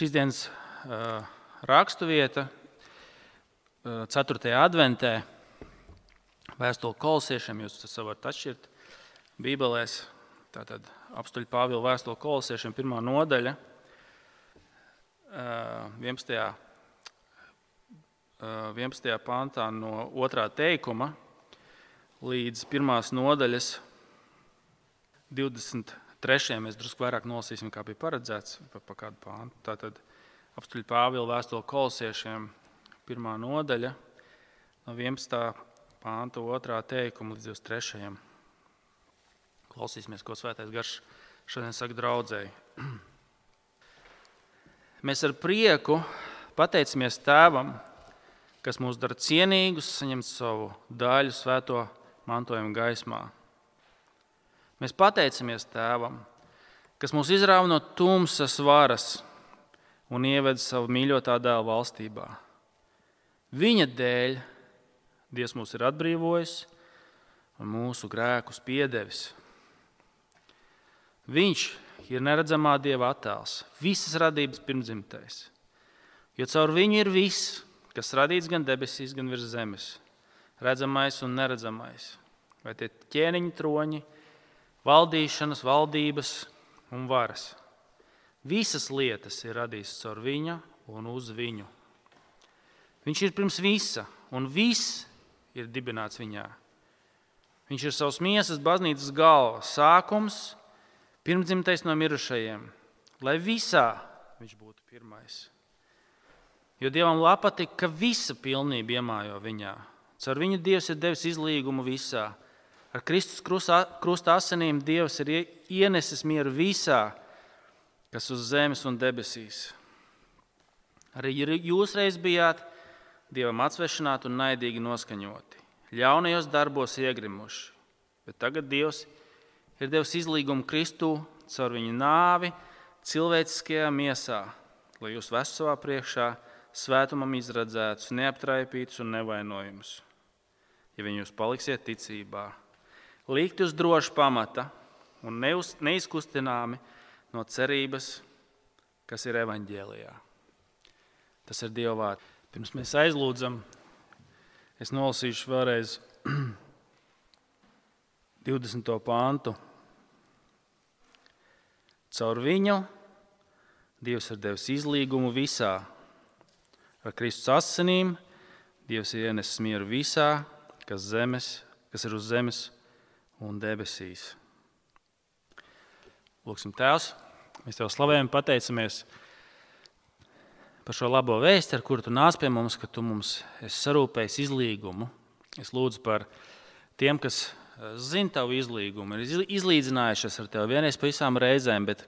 Šīs dienas rakstuvieta 4. adventē, vēstule Kolosiešiem, jūs tas varat atšķirt Bībelēs, tātad apstuļu Pāvila vēstule Kolosiešiem 1. nodaļa, 11. pantā no 2. teikuma līdz 1. nodaļas 23. Mēs drusku vairāk nolasīsim, kā bija paredzēts, pa kādu pāntu. Tātad apstuļu Pāvila vēstule Kolosiešiem 1. nodaļa no 11. pānta 2. teikuma līdz 23. Klausīsimies, ko Svētais Gars šodien saka draudzēji. Mēs ar prieku pateicamies Tēvam, kas mūs dara cienīgus saņemt savu daļu svēto mantojumu gaismā. Mēs pateicamies Tēvam, kas mūs izrāva no tumsas varas un ieved savu mīļotā dēla valstībā. Viņa dēļ Dievs mūs ir atbrīvojis un mūsu grēkus piedevis. Viņš ir neredzamā Dieva attēls, visas radības pirmdzimtais, jo caur viņu ir viss, kas radīts gan debesīs, gan virs zemes, redzamais un neredzamais, vai tie ķēniņi troņi, valdīšanas, valdības un varas. Visas lietas ir radītas caur viņa un uz viņu. Viņš ir pirms visa, un viss ir dibināts viņā. Viņš ir savas miesas baznīcas galva, sākums, pirmdzimtais no mirušajiem, lai visā viņš būtu pirmais. Jo Dievam patīk, ka visa pilnība iemājo viņā. Caur viņu Dievs ir devis izlīgumu visā. Ar Kristus krusta asinīm Dievs ir ienesis mieru visā, kas uz zemes un debesīs. Arī jūs reiz bijāt Dievam atsvešināti un naidīgi noskaņoti, ļaunajos darbos iegrimuši, bet tagad Dievs ir devis izlīgumu Kristū caur viņu nāvi cilvēciskajā miesā, lai jūs vestu savā priekšā svētumam izradzētus, neaptraipītus un nevainojumus, ja viņi jūs paliksiet ticībā. Likti uz droša pamata un neizkustināmi no cerības, kas ir evaņģēlijā. Tas ir Dieva vārds. Pirms mēs aizlūdzam, es nolasīšu vēlreiz 20. pāntu. Caur viņu Dievs ir devis izlīgumu visā. Ar Kristus asinīm Dievs ir ienesis mieru visā, kas ir uz zemes un debesīs. Lūksim, Tēvs, mēs Tev slavējam, pateicamies par šo labo vēsti, ar kuru Tu nāc pie mums, ka Tu mums esi sarūpējis izlīgumu. Es lūdzu par tiem, kas zina Tavu izlīgumu, ir izlīdzinājušies ar Tev vienreiz pa visām reizēm, bet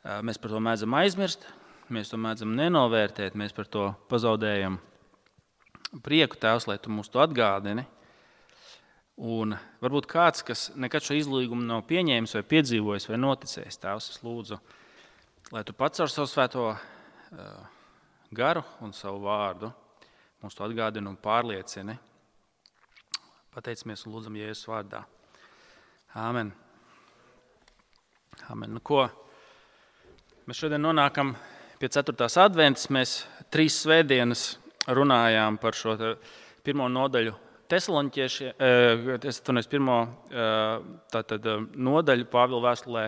mēs par to mēdzam aizmirst, mēs to mēdzam nenovērtēt, mēs par to pazaudējam prieku, Tēvs, lai Tu mums to atgādini. Un varbūt kāds, kas nekad šo izlīgumu nav pieņēmis vai piedzīvojis vai noticējis, Tēvs, es lūdzu, lai Tu pats ar savu svēto garu un savu vārdu mums to atgādini un pārliecini. Pateicamies un lūdzam Jēzus vārdā. Āmen. Āmen. Nu ko? Mēs šodien nonākam pie 4. adventas. Mēs 3 svētdienas runājām par šo 1. nodaļu Tesaloniķiešiem, nodaļu Pāvila vēstulē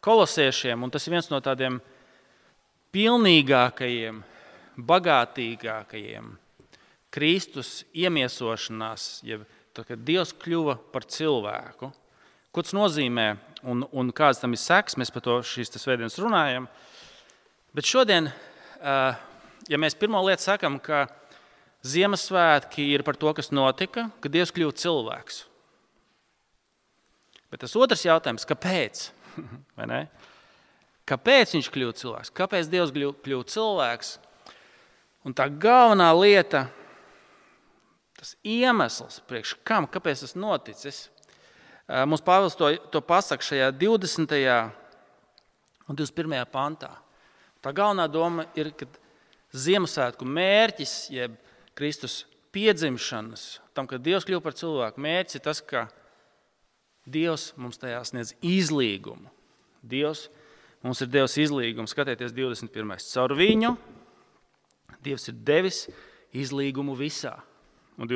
Kolosiešiem, un tas ir viens no tādiem pilnīgākajiem, bagātīgākajiem Kristus iemiesošanās, kad Dievs kļuva par cilvēku. Ko tas nozīmē un kāds tam ir seks, mēs par to šīs svētdienas runājam. Bet šodien, ja mēs pirmo lietu sakam, ka Ziemassvētki ir par to, kas notika, kad Dievs kļuva cilvēks. Bet tas otrs jautājums, kāpēc? Vai ne? Kāpēc viņš kļuva cilvēks? Kāpēc Dievs kļuva cilvēks? Un tā galvenā lieta, tas iemesls, priekš kam, kāpēc tas noticis, mums Pāvils to pasaka šajā 20. un 21. pantā. Tā galvenā doma ir, ka Ziemassvētku mērķis, jeb Kristus piedzimšanas, tam, kad Dievs kļuva par cilvēku, mērķis ir tas, ka Dievs mums tajā sniedz izlīgumu. Dievs mums ir devis izlīgumu. Skatieties 21. Caur viņu Dievs ir devis izlīgumu visā. Un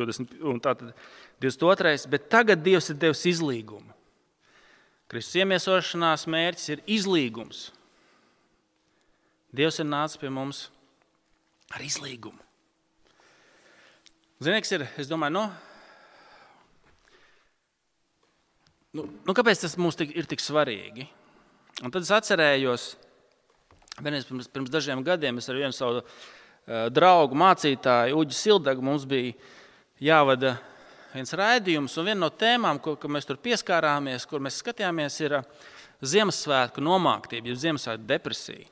tātad 22. Bet tagad Dievs ir devis izlīgumu. Kristus iemiesošanās mērķis ir izlīgums. Dievs ir nācis pie mums ar izlīgumu. Zinieks ir, es domāju, kāpēc tas mums ir tik svarīgi? Un tad es atcerējos, pirms dažiem gadiem es ar vienu savu draugu, mācītāju, Uģi Sildagu, mums bija jāvada viens raidījums, un viena no tēmām, ko mēs tur pieskārāmies, kur mēs skatījāmies, ir Ziemassvētku nomāktība, jeb Ziemassvētku depresija.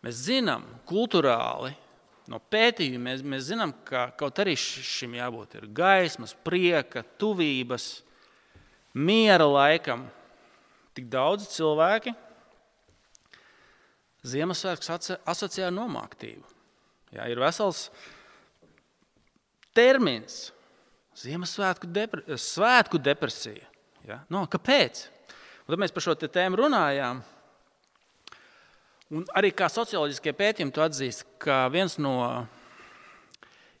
Mēs zinām kulturāli, no pētījuma mēs zinām, ka kaut arī šim jābūt ir gaismas, prieka, tuvības, miera laikam. Tik daudz cilvēki Ziemassvētkus asociē ar nomāktību. Jā, ir vesels termins Ziemassvētku depresija. Ja? Kāpēc? Un tad mēs par šo tēmu runājām. Un arī kā socioloģiskie pētījumi to atzīst, ka viens no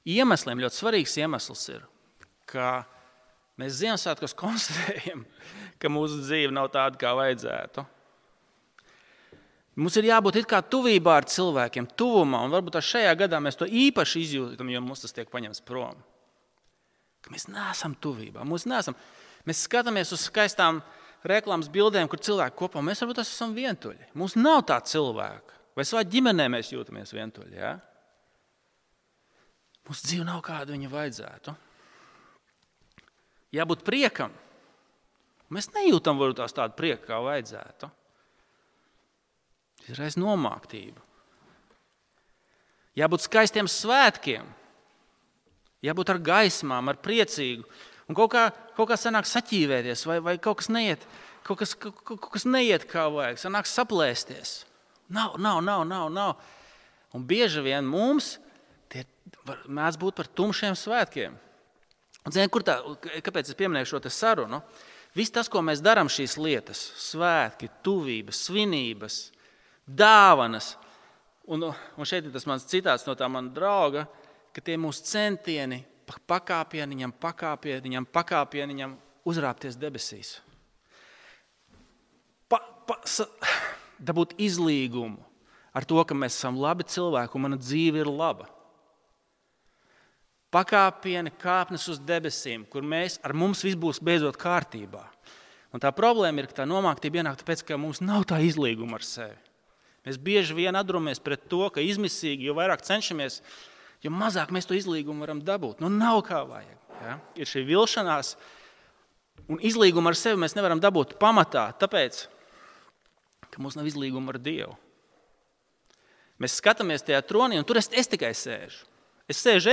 iemesliem, ļoti svarīgs iemesls ir, ka mēs Ziemassvētkos konstatējam, ka mūsu dzīve nav tāda, kā vajadzētu. Mums ir jābūt it kā tuvībā ar cilvēkiem, tuvumā, un varbūt šajā gadā mēs to īpaši izjūtam, jo mums tas tiek paņemts prom. Ka mēs neesam tuvībā, mēs skatāmies uz skaistām reklāmas bildēm, kur cilvēki kopā, mēs varbūt esam vientuļi. Mums nav tā cilvēka, vai savā ģimenē mēs jūtamies vientuļi, ja? Mūsu dzīve nav kāda viņa vajadzētu. Jābūt priekam. Mēs nejūtam varbūt tādu prieku, kā vajadzētu. Ir reiz nomāktība. Jābūt skaistiem svētkiem. Jābūt ar gaismām, ar priecīgu. Un kaut kā sanāk saķīvēties, vai kaut kas neiet kā vajag. Sanāk saplēsties. Nav. Un bieži vien mums tie mēdz būt par tumšiem svētkiem. Un zini, kāpēc es pieminēju šo te sarunu? Viss tas, ko mēs darām šīs lietas, svētki, tuvības, svinības, dāvanas. Un šeit ir tas mans citāts no tā mana drauga, ka tie mūsu centieni pakāpieniņam uzrāpties debesīs. Dabūt izlīgumu ar to, ka mēs esam labi cilvēki un mana dzīve ir laba. Pakāpieni, kāpnes uz debesīm, kur ar mums viss būs beidzot kārtībā. Un tā problēma ir, ka tā nomāktība ienāk tāpēc, ka mums nav tā izlīguma ar sevi. Mēs bieži vien atduramies pret to, ka izmisīgi, jo vairāk cenšamies, jo mazāk mēs to izlīgumu varam dabūt. Nav kā vajag. Ja? Ir šī vilšanās, un izlīgumu ar sevi mēs nevaram dabūt pamatā, tāpēc, ka mums nav izlīguma ar Dievu. Mēs skatāmies tajā tronī, un tur es tikai sēžu. Es sēžu,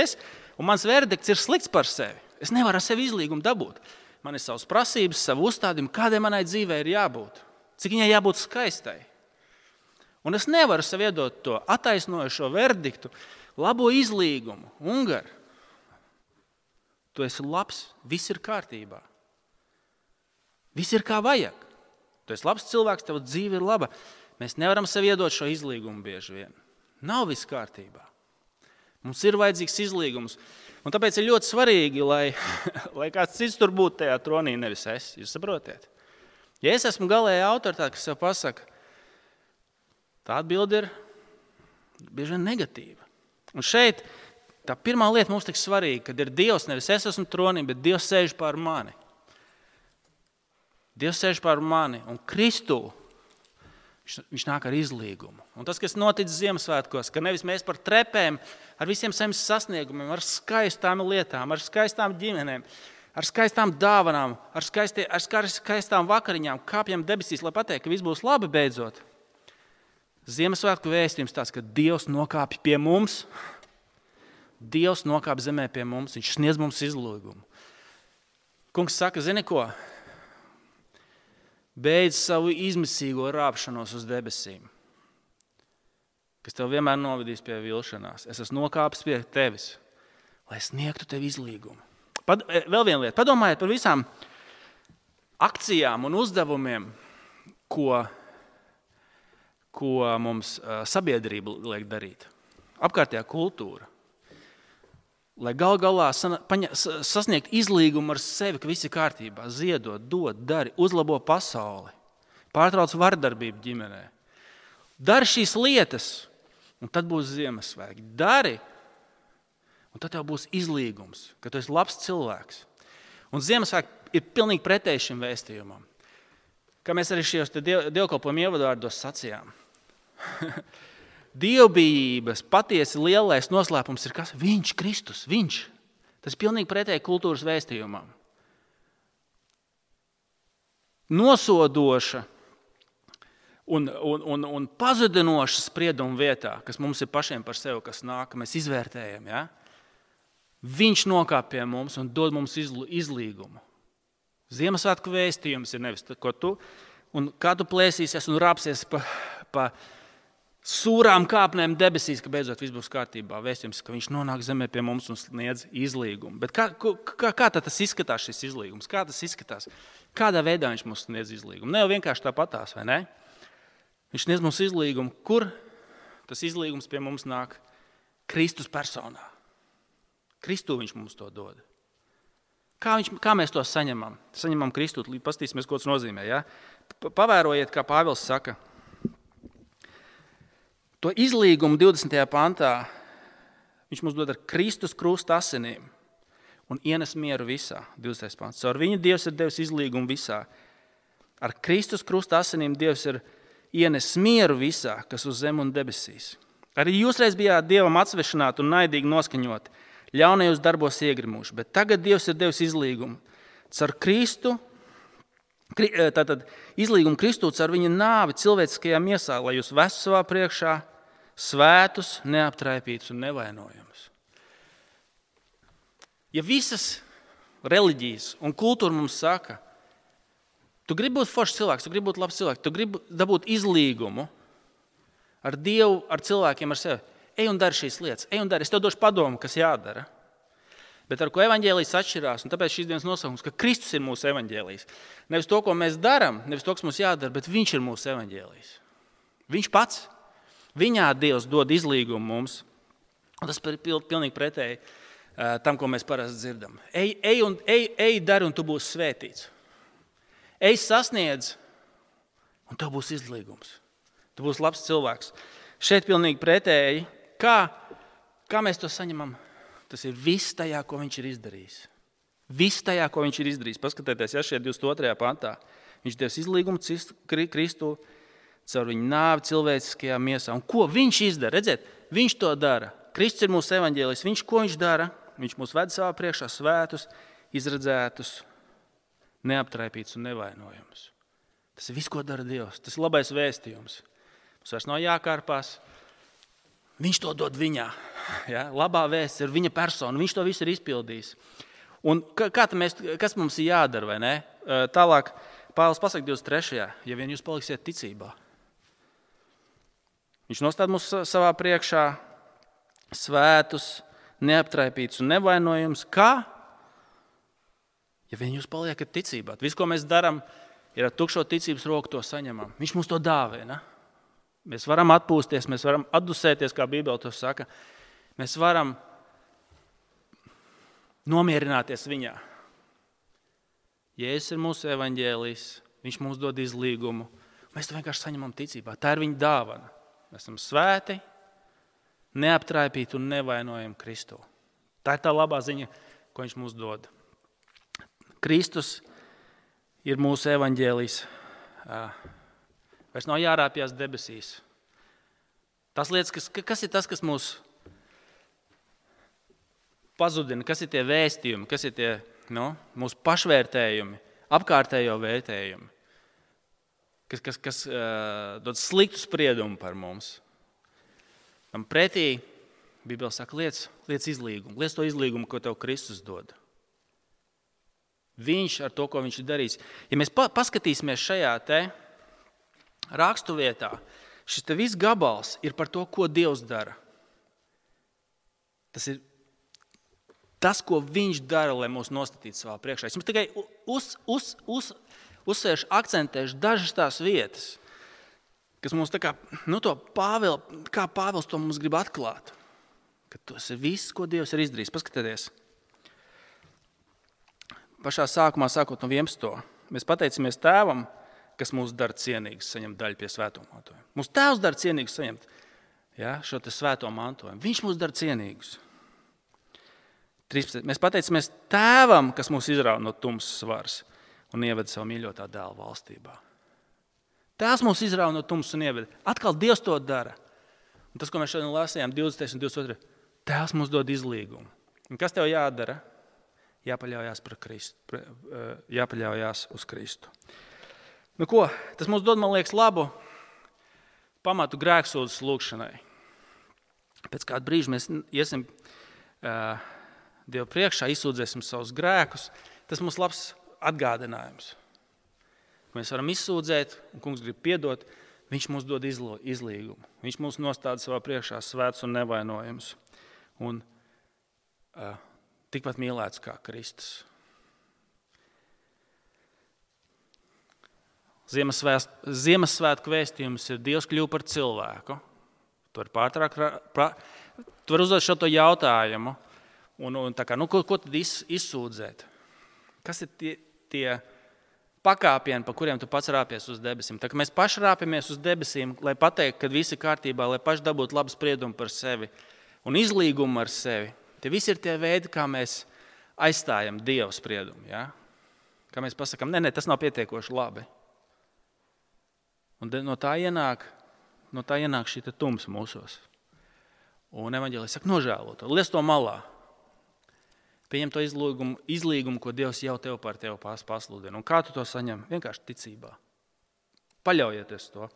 un mans verdikts ir slikts par sevi. Es nevaru ar sevi izlīgumu dabūt. Man ir savas prasības, savu uzstādījumu, kādai manai dzīvei ir jābūt. Cik viņai jābūt skaistai. Un es nevaru sev iedot to attaisnojošo verdiktu, labo izlīgumu. Ungar, tu esi labs, viss ir kārtībā. Viss ir kā vajag. Tu esi labs cilvēks, tava dzīve ir laba. Mēs nevaram sev iedot šo izlīgumu bieži vien. Nav viss kārtībā. Mums ir vajadzīgs izlīgums. Un tāpēc ir ļoti svarīgi, lai kāds cits tur būtu tajā tronī, nevis es. Jūs saprotiet? Ja es esmu galēja autoritāte, kas sev pasaka, tā atbilde ir bieži vien negatīva. Un šeit tā pirmā lieta mums tik svarīga, kad ir Dievs, nevis es esmu tronī, bet Dievs sēž pār mani. Dievs sēž pār mani un Kristu. Viņš nāk ar izlīgumu. Un tas, kas noticis Ziemassvētkos, ka nevis mēs par trepēm, ar visiem saviem sasniegumiem, ar skaistām lietām, ar skaistām ģimenēm, ar skaistām dāvanām, ar skaistām vakariņām, kāpjam debesīs, lai pateikt, ka viss būs labi beidzot. Ziemassvētku vēstījums tāds, ka Dievs nokāpj pie mums, Dievs nokāpj zemē pie mums, viņš sniedz mums izlīgumu. Kungs saka, zini ko? Beidz savu izmisīgo rāpšanos uz debesīm, kas tev vienmēr novedīs pie vilšanās. Es esmu nokāpis pie tevis, lai sniegtu tev izlīgumu. Vēl viena lieta. Padomājiet par visām akcijām un uzdevumiem, ko ko mums sabiedrība liek darīt. Apkārtējā kultūra. Lai gal galā sasniegt izlīgumu ar sevi, ka viss ir kārtībā, ziedot, dod, dari, uzlabo pasauli, pārtrauc vardarbību ģimenē. Dari šīs lietas, un tad būs Ziemassvētki. Dari, un tad tev būs izlīgums, ka tu esi labs cilvēks. Un Ziemassvētki ir pilnīgi pretēji šim vēstījumam. Kā mēs arī šajos dievkalpojumu ievadvārdos sacījām. Dievbijības patiesi lielais noslēpums ir kas? Viņš, Kristus, viņš. Tas ir pilnīgi pretēji kultūras vēstījumam. Nosodoša un pazudinoša sprieduma vietā, kas mums ir pašiem par sevi, kas nāk, mēs izvērtējam. Ja? Viņš nokāp pie mums un dod mums izlīgumu. Ziemassvētku vēstījums ir nevis, ko tu, un kā tu plēsīsies un rāpsies pa sūrām kāpnēm debesīs, ka beidzot viss būs kārtībā. Vēstījums, ka viņš nonāk zemē pie mums un sniedz izlīgumu. Bet kā tas izskatās, šis izlīgums? Kā tas izskatās? Kādā veidā viņš mums sniedz izlīgumu? Ne jau vienkārši tāpatās, vai ne? Viņš sniedz mums izlīgumu. Kur tas izlīgums pie mums nāk? Kristus personā. Kristū viņš mums to dod. Kā mēs to saņemam? Saņemam Kristu, pastīsimies, ko tas nozīmē. Ja? Pavērojiet, kā Pāvils saka. To izlīgumu 20. pantā viņš mums dod ar Kristus krusta asinīm un ienes mieru visā. 20. pants. Ar viņu Dievs ir devis izlīgumu visā. Ar Kristus krusta asinīm Dievs ir ienes mieru visā, kas uz zem un debesīs. Arī jūs reiz bijāt Dievam atsvešināti un naidīgi noskaņoti, ļaunajos darbos iegrimuši, bet tagad Dievs ir devis izlīgumu. Caur Kristu, tātad izlīgumu Kristū caur viņa nāvi cilvēciskajā miesā, lai jūs vestu savā priekšā svētus, neaptraipītus un nevainojumus. Ja visas reliģijas un kultūra mums saka, tu gribi būt foršs cilvēks, tu gribi būt labs cilvēks, tu gribi dabūt izlīgumu ar Dievu, ar cilvēkiem, ar sevi, ej un dari šīs lietas, ej un dari. Es tev došu padomu, kas jādara. Bet ar ko evaņģēlijs atšķirās, un tāpēc šīs dienas nosaukums, ka Kristus ir mūsu evaņģēlijs. Nevis to, ko mēs darām, nevis to, kas mums jādara, bet viņš ir mūsu evaņģēlijs. Viņš pats. Viņā Dievs dod izlīgumu mums. Un tas ir pilnīgi pretēji tam, ko mēs parasti dzirdam. Ej, dari, un tu būsi svētīts. Ej, sasniedz, un tev būs izlīgums. Tu būsi labs cilvēks. Šeit pilnīgi pretēji. Kā mēs to saņemam? Tas ir viss tajā, ko viņš ir izdarījis. Viss tajā, ko viņš ir izdarījis. Paskatieties, ja šeit 22. pantā. Viņš devis izlīgumu Kristu caur viņu nāvi cilvēciskajā miesā. Un ko viņš izdara? Redziet, viņš to dara. Kristus ir mūsu evaņģēlijs. Ko viņš dara? Viņš mūs ved savā priekšā svētus, izredzētus, neaptraipītus un nevainojumus. Tas ir viss, ko dara Dievs. Tas ir labais vēstījums. Mums vairs nav jākārpās. Viņš to dod viņā. Ja? Labā vēsts ir viņa persona. Viņš to visu ir izpildījis. Un kas mums ir jādara, vai ne? Tālāk Pāvils pasaka 23. Ja vien jūs paliksiet ticībā. Viņš nostāda mūs savā priekšā svētus, neaptraipītus un nevainojumus. Kā? Ja vien jūs paliekat ticībā. Viss, ko mēs darām, ir ar tukšo ticības roku to saņemam. Viņš mums to dāvina. Mēs varam atpūsties, mēs varam atdusēties, kā Bībele to saka. Mēs varam nomierināties viņā. Jēzus ir mūsu evaņģēlijs, viņš mums dod izlīgumu. Mēs to vienkārši saņemam ticībā. Tā ir viņa dāvana. Mēs esam svēti, neaptraipīti un nevainojami Kristu. Tā ir tā labā ziņa, ko viņš mums dod. Kristus ir mūsu evaņģēlijs. Vairs nav jārāpjas debesīs. Tas lietas, kas ir tas, kas mūs pazudina, kas ir tie vēstījumi, kas ir tie mūsu pašvērtējumi, apkārtējo vērtējumi, kas dod sliktu spriedumu par mums. Tam pretī Bībele saka, liec izlīgumu, liec to izlīgumu, ko tev Kristus dod. Viņš ar to, ko viņš ir darījis. Ja mēs paskatīsimies šajā te rakstu vietā, šis te viss gabals ir par to, ko Dievs dara. Tas ir tas, ko viņš dara, lai mūs nostatītu savā priekšā. Es jums tikai uzsvēršu, akcentēšu dažas tās vietas. kas mums kā Pāvils to mums grib atklāt. Ka tas ir viss, ko Dievs ir izdarījis. Paskatieties. Pašā sākumā, sākot no 11. Mēs pateicamies Tēvam, kas mūs dara cienīgus saņemt daļu pie svēto mantojuma. Mūsu Tēvs dara cienīgus saņemt šo te svēto mantojumu. Viņš mūs dara cienīgus. 13. Mēs pateicamies Tēvam, kas mūs izrauj no tumsas varas un ieveda savu mīļotā dēla valstībā. Tēvs mūs izrauj no tumsas un ieveda. Atkal Dievs to dara. Un tas, ko mēs šodien lasījām, 20. un 22. Tēvs mums dod izlīgumu. Un kas tev jādara? Jāpaļaujās uz Kristu. Nu ko, tas mums dod, man liekas, labu pamatu grēksūdzes lūgšanai. Pēc kāda brīža mēs iesim Dievu priekšā, izsūdzēsim savus grēkus. Tas mums labs atgādinājums. Mēs varam izsūdzēt, un Kungs grib piedot, viņš mums dod izlīgumu. Viņš mums nostāda savā priekšā svēts un nevainojams. Un tikpat mīlēts kā Kristus. Ziemassvētku vēstījums ir Dievs kļuva par cilvēku. Tu vari uzdot šo jautājumu. Un tā kā, ko tad izsūdzēt? Kas ir tie pakāpieni, pa kuriem tu pats rāpies uz debesīm? Tā kā mēs paši rāpjamies uz debesīm, lai pateiktu, ka viss ir kārtībā, lai paši dabūtu labu spriedumu par sevi un izlīgumu ar sevi. Tie visi ir tie veidi, kā mēs aizstājam Dieva spriedumu. Ja? Kā mēs pasakām, ne, tas nav pietiekoši labi. Un no tā ienāk šī tumsa mūsos. Un evaņģēlija saka, nožēlo to, liec to malā. Pieņem to izlīgumu, ko Dievs jau tev par tevi pasludina. Un kā tu to saņem? Vienkārši ticībā. Paļaujieties to,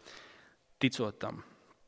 ticot tam.